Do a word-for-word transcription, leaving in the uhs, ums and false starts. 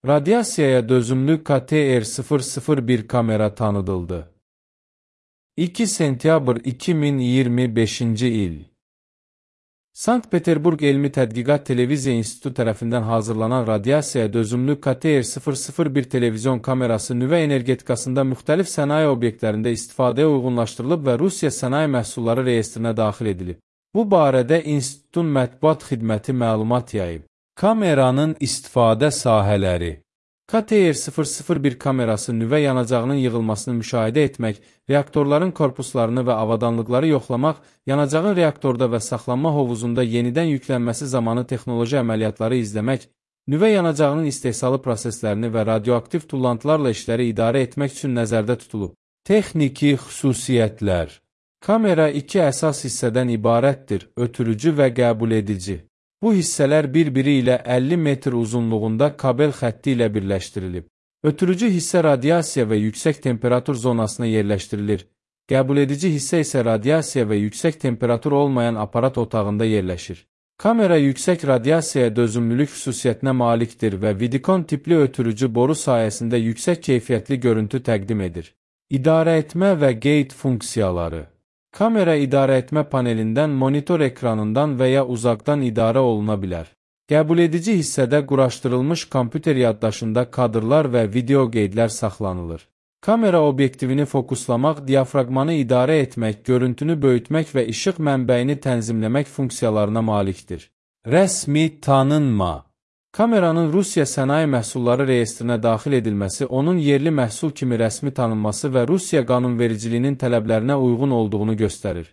Radiasiyaya dözümlü K T R sıfır sıfır bir kamera tanıdıldı. iki sentyabr iki min iyirmi beşinci il. Sankt-Peterburg Elmi Tədqiqat Televiziya İnstitutu tərəfindən hazırlanan radiasiyaya dözümlü K T R sıfır sıfır bir televizyon kamerası nüvə energetikasında müxtəlif sənaye obyektlərində istifadəyə uyğunlaşdırılıb və Rusiya sənaye məhsulları reyestrinə daxil edilib. Bu barədə İnstitutun mətbuat xidməti məlumat yayıb. Kameranın istifadə sahələri. K T R sıfır sıfır bir kamerası nüvə yanacağının yığılmasını müşahidə etmək, reaktorların korpuslarını və avadanlıqları yoxlamaq, yanacağın reaktorda və saxlanma hovuzunda yenidən yüklənməsi zamanı texnoloji əməliyyatları izləmək, nüvə yanacağının istehsalı proseslərini və radioaktiv tullantılarla işləri idarə etmək üçün nəzərdə tutulub. Texniki xüsusiyyətlər. Kamera iki əsas hissədən ibarətdir: ötürücü və qəbul edici. Bu hissələr bir-biri ilə əlli metr uzunluğunda kabel xətti ilə birləşdirilib. Ötürücü hissə radiasiya və yüksək temperatur zonasına yerləşdirilir. Qəbul edici hissə isə radiasiya və yüksək temperatur olmayan aparat otağında yerləşir. Kamera yüksək radiasiyaya dözümlülük xüsusiyyətinə malikdir və Vidikon tipli ötürücü boru sayəsində yüksək keyfiyyətli görüntü təqdim edir. İdarə etmə və qeyd funksiyaları. Kamera idarə etmə panelindən, monitor ekranından və ya uzaqdan idarə oluna bilər. Qəbul edici hissədə quraşdırılmış kompüter yaddaşında kadrlar və video qeydlər saxlanılır. Kamera obyektivini fokuslamaq, diafraqmanı idarə etmək, görüntünü böyütmək və işıq mənbəyini tənzimləmək funksiyalarına malikdir. Rəsmi tanınma. Kameranın Rusiya sənaye məhsulları reyestrinə daxil edilməsi, onun yerli məhsul kimi rəsmi tanınması və Rusiya qanunvericiliyinin tələblərinə uyğun olduğunu göstərir.